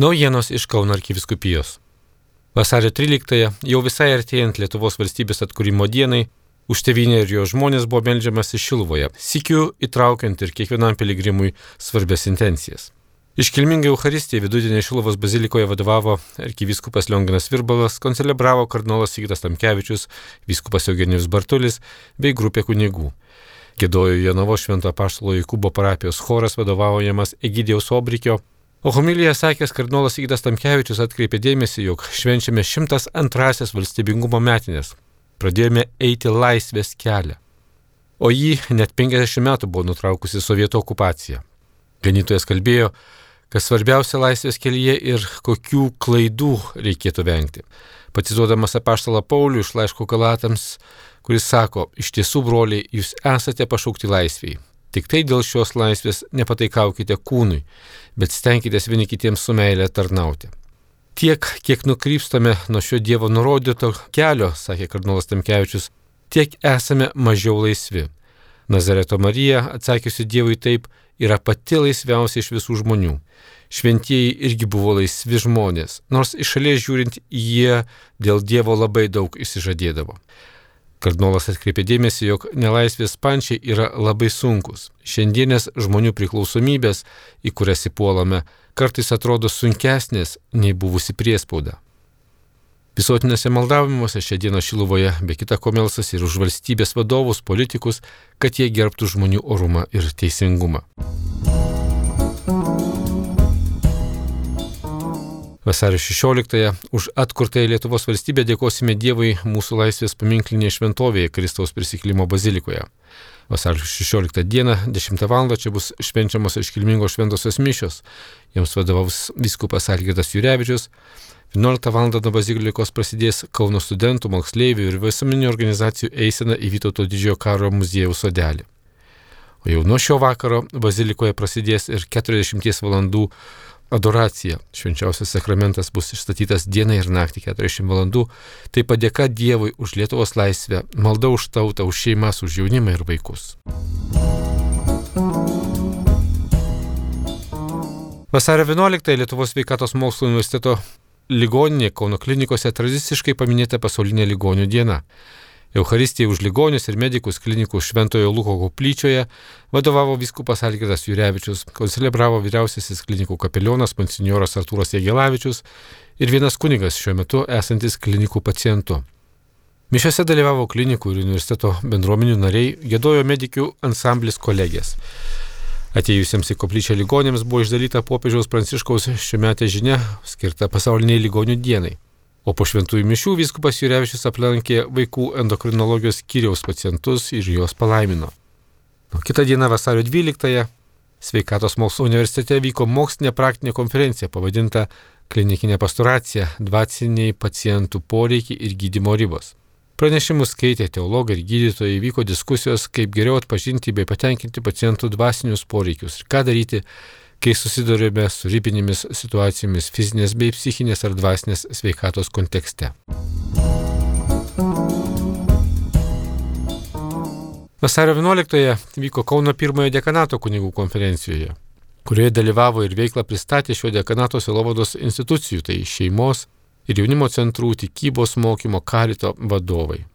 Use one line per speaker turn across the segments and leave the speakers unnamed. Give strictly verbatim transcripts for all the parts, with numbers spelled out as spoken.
Naujienos iš Kauno arkivyskupijos. Vasario tryliktąją, jau visai artėjant Lietuvos valstybės atkūrimo dienai, už tėvynę ir jo žmonės buvo meldžiamasi Šiluvoje, sykiu įtraukiant ir kiekvienam piligrimui svarbias intencijas. Iškilmingai Eucharistijai vidudienį Šiluvos bazilikoje vadovavo arkivyskupas Lionginas Virbalas, koncelebravo kardinolas Sigitas Tamkevičius, vyskupas Eugenijus Bartulis bei grupė kunigų. Giedojo Jonavos Švento Apaštalo Jokūbo parapijos choras vadovaujamas Egidijaus Obrikio, o homilijoje sakęs kardinolas Sigitas Tamkevičius atkreipė dėmesį, jog švenčiame šimtas antrąsias valstybingumo metinės. Pradėjome eiti laisvės kelią, o jį net penkiasdešimt metų buvo nutraukusi sovietų okupacija. Ganytojas kalbėjo, kad svarbiausia laisvės kelyje ir kokių klaidų reikėtų vengti. Pacituodamas apaštalą Paulių iš laiško Galatams, kuris sako, iš tiesų, broliai, jūs esate pašaukti laisvei. Tik tai dėl šios laisvės nepataikaukite kūnui, bet stenkitės vieni kitiems su meile tarnauti. Tiek, kiek nukrypstame nuo šio Dievo nurodyto kelio, sakė kardinolas Tamkevičius, tiek esame mažiau laisvi. Nazareto Marija, atsakiusi Dievui taip, yra pati laisviausia iš visų žmonių. Šventieji irgi buvo laisvi žmonės, nors iš šalies žiūrint jie dėl Dievo labai daug išsižadėdavo. Kardinolas atkreipė dėmesį, jog nelaisvės pančiai yra labai sunkus. Šiandienės žmonių priklausomybės, į kurias įpuolame, kartais atrodo sunkesnės nei buvusi priespauda. Visuotinėse maldavimuose šią dieną Šiluvoje be kita ko melsasi ir už valstybės vadovus, politikus, kad jie gerbtų žmonių orumą ir teisingumą. Vasario šešioliktąją už atkurtąją Lietuvos valstybę dėkosime Dievui mūsų laisvės paminklinėje šventovėje Kristaus prisikėlimo bazilikoje. Vasario šešioliktą dieną dešimtą valandą čia bus švenčiamos iškilmingos šventosios mišios. Jiems vadovaus vyskupas Algirdas Jurevičius. vienuoliktą valandą nuo bazilikos prasidės Kauno studentų, moksleivių ir visuomeninių organizacijų eisena į Vytauto didžiojo karo muziejaus sodelį. O jau nuo šio vakaro bazilikoje prasidės ir keturiasdešimties valandų adoracija. Švenčiausias sakramentas bus išstatytas dieną ir naktį keturiasdešimt valandų. Tai padėka Dievui už Lietuvos laisvę, malda už tautą, už šeimas, už jaunimą ir vaikus. Vasario vienuoliktąją Lietuvos sveikatos mokslų universiteto ligoninė Kauno klinikose tradiciškai paminėta pasaulinė ligonių diena. Eucharistijai už ligonius ir medikus klinikų Šventojo Luko koplyčioje vadovavo vyskupas Algirdas Jurevičius, koncelebravo vyriausiasis klinikų kapelionas monsinjoras Artūras Jagelavičius ir vienas kunigas šiuo metu esantis klinikų pacientu. Mišiose dalyvavo klinikų ir universiteto bendruomenių nariai, giedojo medikių ansamblis kolegės. Atėjusiems į koplyčią ligonėms buvo išdalyta popiežiaus Pranciškaus šiųmetė žinia skirta pasauliniai ligonių dienai. O po šventųjų mišių vyskupas Jurevičius aplankė vaikų endokrinologijos skyriaus pacientus ir juos palaimino. O kitą dieną vasario dvyliktąją Sveikatos mokslų universitete vyko mokslinė praktinė konferencija pavadinta Klinikinė pastoracija – dvasiniai pacientų poreikiai ir gydymo ribos. Pranešimus skaitė teologai ir gydytojai, vyko diskusijos, kaip geriau atpažinti bei patenkinti pacientų dvasinius poreikius ir ką daryti, kai susidurime su ribinėmis situacijomis fizinės bei psichinės ar dvasinės sveikatos kontekste. Vasario vienuoliktąją vyko Kauno pirmojo dekanato kunigų konferencijoje, kurioje dalyvavo ir veiklą pristatė šio dekanato sielovados institucijų, tai šeimos ir jaunimo centrų, tikybos mokymo, karito vadovai.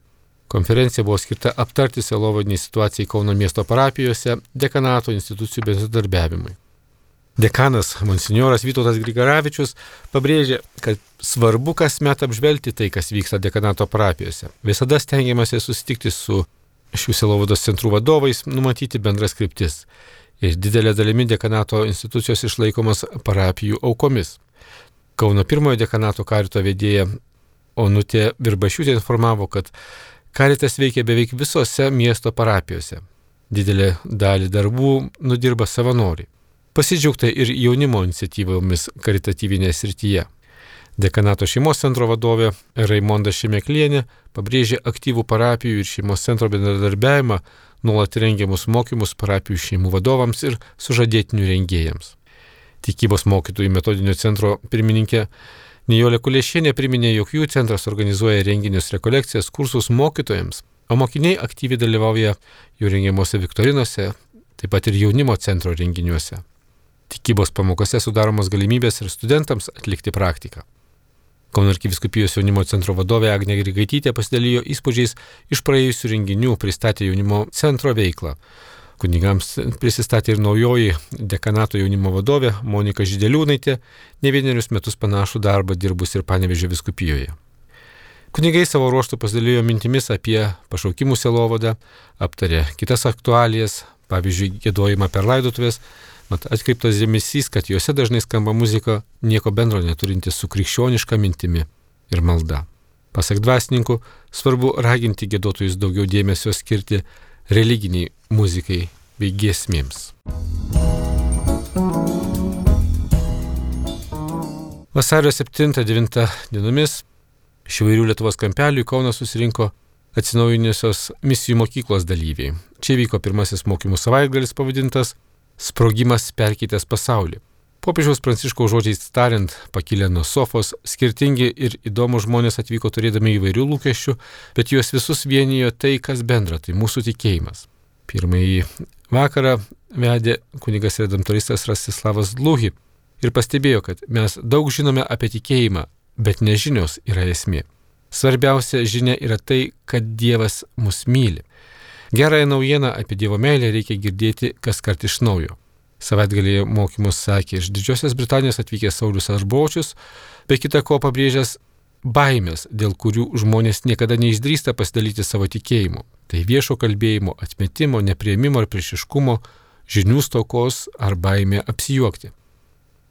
Konferencija buvo skirta aptarti sielovadinį situaciją Kauno miesto parapijose, dekanato institucijų bendradarbiavimui. Dekanas monsinjoras Vytautas Grigaravičius pabrėžė, kad svarbu kasmet apžvelgti tai, kas vyksta dekanato parapijose. Visada stengiamasi susitikti su šių sielovados centrų vadovais, numatyti bendras kryptis. Ir didelė dalimi dekanato institucijos išlaikomas parapijų aukomis. Kauno pirmojo dekanato karito vedėja Onutė Virbašiūtė informavo, kad karitas veikia beveik visose miesto parapijose. Didelė dalį darbų nudirba savanoriai. Pasidžiaugta ir jaunimo iniciatyvomis karitatyvinėje srityje. Dekanato šeimos centro vadovė Raimonda Šemeklienė pabrėžė aktyvų parapijų ir šeimos centro bendradarbiavimą, nuolat rengiamus mokymus parapijų šeimų vadovams ir sužadėtinių rengėjams. Tikybos mokytojų metodinio centro pirmininkė Nijolė Kuliešienė priminė, jog jų centras organizuoja renginius, rekolekcijas, kursus mokytojams, o mokiniai aktyviai dalyvauja jų rengiamuose viktorinose, taip pat ir jaunimo centro renginiuose. Tikybos pamokose sudaromos galimybės ir studentams atlikti praktiką. Kauno arkivyskupijos jaunimo centro vadovė Agnė Grigaitytė pasidalijo įspūdžiais iš praėjusių renginių, pristatė jaunimo centro veiklą. Kunigams prisistatė ir naujoji dekanato jaunimo vadovė Monika Žideliūnaitė, ne vienerius metus panašų darbą dirbus ir Panevėžio vyskupijoje. Kunigai savo ruoštų pasidalijo mintimis apie pašaukimų sielovadą, aptarė kitas aktualijas, pavyzdžiui, giedojimą per laidotuvės. Mat atkreiptas dėmesys, kad juose dažnai skamba muzika nieko bendro neturinti su krikščioniška mintimi ir malda. Pasak dvasininkų, svarbu raginti giedotojus daugiau dėmesio skirti religiniai muzikai bei giesmėms. Vasario septintą devintą dienomis iš įvairių Lietuvos kampelių į Kauną susirinko atsinaujinusios misijų mokyklos dalyviai. Čia vyko pirmasis mokymų savaitgalis pavadintas Sprogimas perkeitęs pasaulį. Popiežiaus Pranciškaus žodžiais tariant, pakilę nuo sofos, skirtingi ir įdomūs žmonės atvyko turėdami įvairių lūkesčių, bet juos visus vienijo tai, kas bendra, tai mūsų tikėjimas. Pirmąjį vakarą vedė kunigas redemptoristas Rastislavas Dluhi ir pastebėjo, kad mes daug žinome apie tikėjimą, bet nežinios yra esmė. Svarbiausia žinia yra tai, kad Dievas mus myli. Gerąją naujieną apie Dievo meilę reikia girdėti kas kart iš naujo. Savaitgalėje mokymus sakė iš Didžiosios Britanijos atvykęs Saulius Arbočius, be kita ko pabrėžęs baimės, dėl kurių žmonės niekada neišdrįsta pasidalyti savo tikėjimu. Tai viešo kalbėjimo, atmetimo, nepriėmimo ir priešiškumo, žinių stokos ar baimė apsijuokti.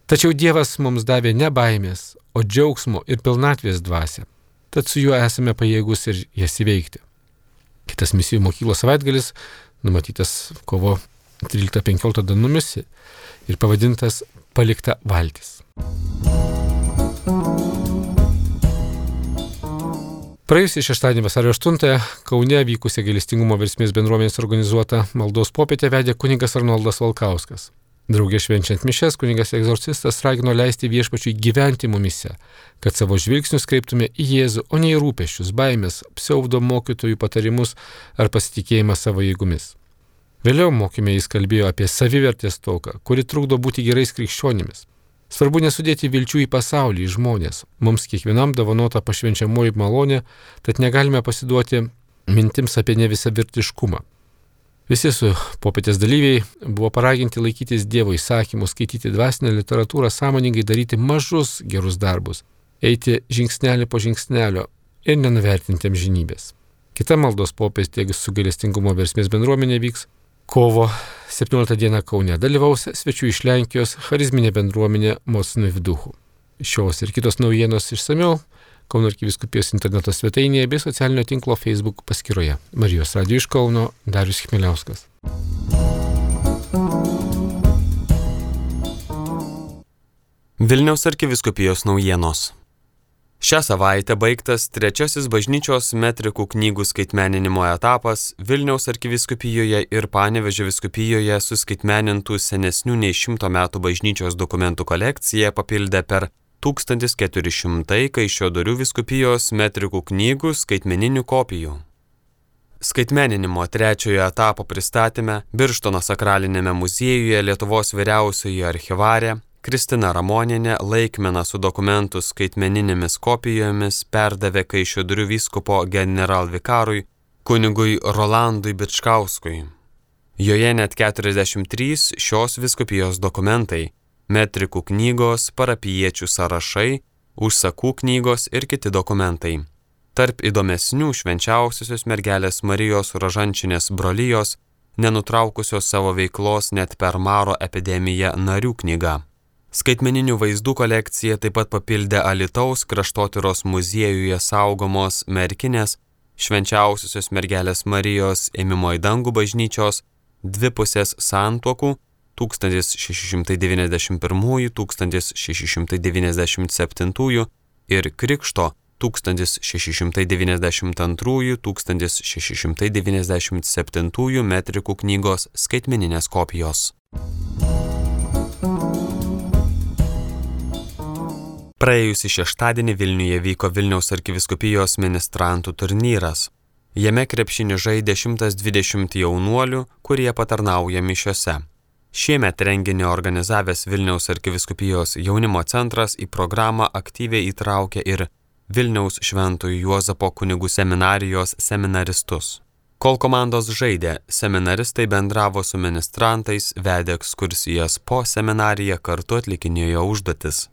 Tačiau Dievas mums davė ne baimės, o džiaugsmo ir pilnatvės dvasią. Tad su juo esame pajėgus ir jas įveikti. Kitas misijų mokyklos savaitgalis numatytas kovo tryliktą penkioliktą dienomis ir pavadintas Palikta valtis. Praėjusį šeštadienį vasario aštuntąją Kaune vykusią gailestingumo versmės bendruomenės organizuotą maldos popietę vedė kunigas Arnoldas Valkauskas. Drauge švenčiant mišias, kunigas egzorcistas ragino leisti Viešpačiui gyventi mumyse, kad savo žvilgsnius kreiptume į Jėzų, o ne į rūpesčius, baimės, pseudo mokytojų patarimus ar pasitikėjimą savo jėgomis. Vėliau mokyme jis kalbėjo apie savivertės stoką, kuri trukdo būti gerais krikščionimis. Svarbu nesudėti vilčių į pasaulį, į žmonės. Mums kiekvienam dovanota pašvenčiamoji malonė, tad negalime pasiduoti mintims apie nevisavertiškumą. Visi su popietės dalyviai buvo paraginti laikytis Dievo įsakymų, skaityti dvasinę literatūrą, sąmoningai daryti mažus gerus darbus, eiti žingsnelį po žingsnelio ir nenuvertinti amžinybės. Kita maldos popietė su gailestingumo versmės bendruomenė vyks kovo septynioliktą dieną Kaune. Dalyvaus svečių iš Lenkijos charizminė bendruomenė Mocny w duchu. Šios ir kitos naujienos išsamiau Kauno arkivyskupijos interneto svetainėje bei socialinio tinklo Facebook paskyroje. Marijos radijo iš Kauno, Darius Chmieliauskas.
Vilniaus arkivyskupijos naujienos. Šią savaitę baigtas trečiasis bažnyčios metrikų knygų skaitmeninimo etapas Vilniaus arkivyskupijoje ir Panevėžio vyskupijoje suskaitmenintų senesnių nei šimto metų bažnyčios dokumentų kolekciją papildė per tūkstantis keturi šimtai Kaišiadorių vyskupijos metrikų knygų skaitmeninių kopijų. Skaitmeninimo trečiojo etapo pristatyme Birštono sakralinėme muziejuje Lietuvos vyriausioji archyvarė Kristina Ramonienė laikmeną su dokumentų skaitmeninėmis kopijomis perdavė Kaišiadorių vyskupo generalvikarui kunigui Rolandui Bičkauskui. Joje net keturiasdešimt trys šios vyskupijos dokumentai, metrikų knygos, parapijiečių sąrašai, užsakų knygos ir kiti dokumentai. Tarp įdomesnių švenčiausiosios mergelės Marijos Rožančinės brolijos, nenutraukusios savo veiklos net per maro epidemiją narių knyga. Skaitmeninių vaizdų kolekcija taip pat papildė Alytaus kraštotyros muziejuje saugomos merkinės švenčiausiosios mergelės Marijos ėmimo į dangų bažnyčios dvipusės santuokų tūkstantis šeši šimtai devyniasdešimt pirmųjų - tūkstantis šeši šimtai devyniasdešimt septintųjų ir Krikšto tūkstantis šeši šimtai devyniasdešimt antrųjų - tūkstantis šeši šimtai devyniasdešimt septintųjų metrikų knygos skaitmeninės kopijos. Praėjusį šeštadienį Vilniuje vyko Vilniaus arkivyskupijos ministrantų turnyras. Jame krepšinį žaidė šimtas dvidešimt jaunuolių, kurie patarnauja mišiose. Šiemet renginį organizavęs Vilniaus arkivyskupijos jaunimo centras į programą aktyviai įtraukė ir Vilniaus Šventojo Juozapo kunigų seminarijos seminaristus. Kol komandos žaidė, seminaristai bendravo su ministrantais, vedė ekskursijas po seminariją, kartu atlikinėjo užduotis.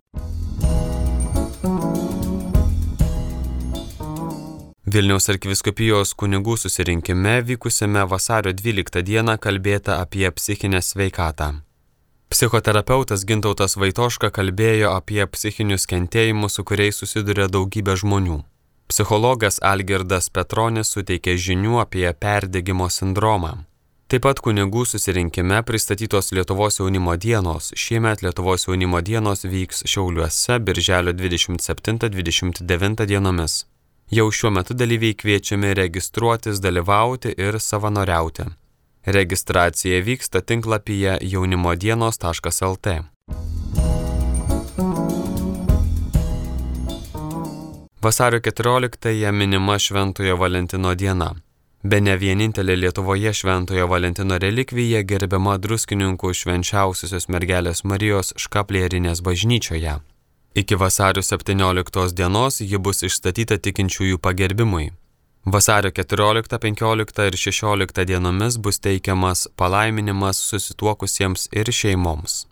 Vilniaus arkivyskupijos kunigų susirinkime vykusiame vasario dvyliktą dieną kalbėta apie psichinę sveikatą. Psichoterapeutas Gintautas Vaitoška kalbėjo apie psichinius kentėjimus, su kuriais susiduria daugybė žmonių. Psichologas Algirdas Petronis suteikė žinių apie perdegimo sindromą. Taip pat kunigų susirinkime pristatytos Lietuvos jaunimo dienos. Šiemet Lietuvos jaunimo dienos vyks Šiauliuose birželio dvidešimt septintą dvidešimt devintą dienomis. Jau šiuo metu dalyviai kviečiami registruotis, dalyvauti ir savanoriauti. Registracija vyksta tinklapyje jaunimodienos taškas el tė. Vasario keturioliktąją minima Šventojo Valentino diena. Bene vienintelė Lietuvoje Šventojo Valentino relikvija gerbiama Druskininkų Švenčiausiosios Mergelės Marijos Škaplierinės bažnyčioje. Iki vasario septynioliktos dienos ji bus išstatyta tikinčiųjų pagerbimui. Vasario keturioliktą, penkioliktą ir šešioliktą dienomis bus teikiamas palaiminimas susituokusiems ir šeimoms.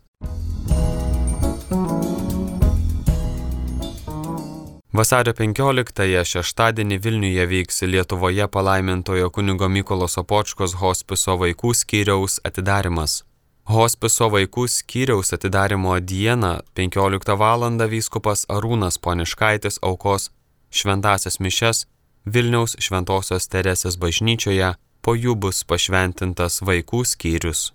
Vasario penkioliktąją šeštadienį Vilniuje vyks Lietuvoje palaimintojo kunigo Mykolo Sopočkos hospiso vaikų skyriaus atidarymas. Hospiso vaikų skyriaus atidarymo dieną penkioliktą valandą vyskupas Arūnas Poniškaitis aukos šventąsias mišias Vilniaus Šventosios Teresės bažnyčioje, po jų bus pašventintas vaikų skyrius.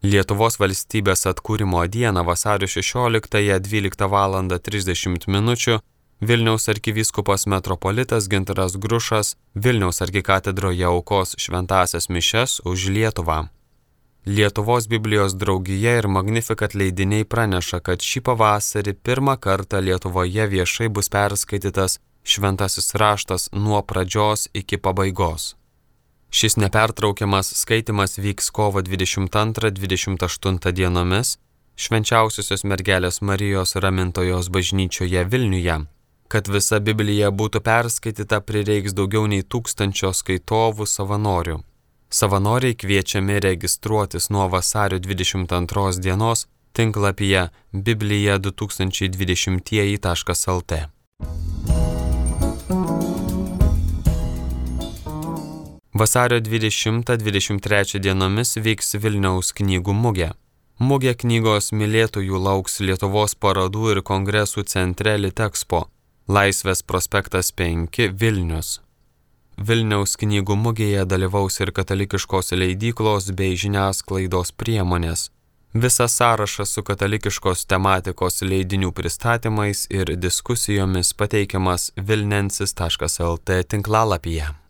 Lietuvos valstybės atkūrimo dieną vasario šešioliktąją dvyliktą valandą trisdešimt minučių Vilniaus arkivyskupas metropolitas Gintaras Grušas Vilniaus arkikatedroje aukos šventąsias mišias už Lietuvą. Lietuvos Biblijos draugija ir Magnificat leidiniai praneša, kad šį pavasarį pirmą kartą Lietuvoje viešai bus perskaitytas šventasis raštas nuo pradžios iki pabaigos. Šis nepertraukiamas skaitimas vyks kovo dvidešimt antrą dvidešimt aštuntą dienomis Švenčiausiosios Mergelės Marijos Ramintojos bažnyčioje Vilniuje. Kad visa Biblija būtų perskaityta, prireiks daugiau nei tūkstančio skaitovų savanorių. Savanoriai kviečiami registruotis nuo vasario dvidešimt antros dienos tinklapyje biblija du tūkstančiai dvidešimtieji taškas el tė. Vasario dvidešimtą dvidešimt trečią dienomis vyks Vilniaus knygų mugė. Mugė knygos mylėtojų lauks Lietuvos parodų ir kongresų centre Litexpo, Laisvės prospektas penki, Vilnius. Vilniaus knygų mugėje dalyvaus ir katalikiškos leidyklos bei žiniasklaidos priemonės. Visas sąrašas su katalikiškos tematikos leidinių pristatymais ir diskusijomis pateikiamas vilnensis taškas el tė tinklalapyje.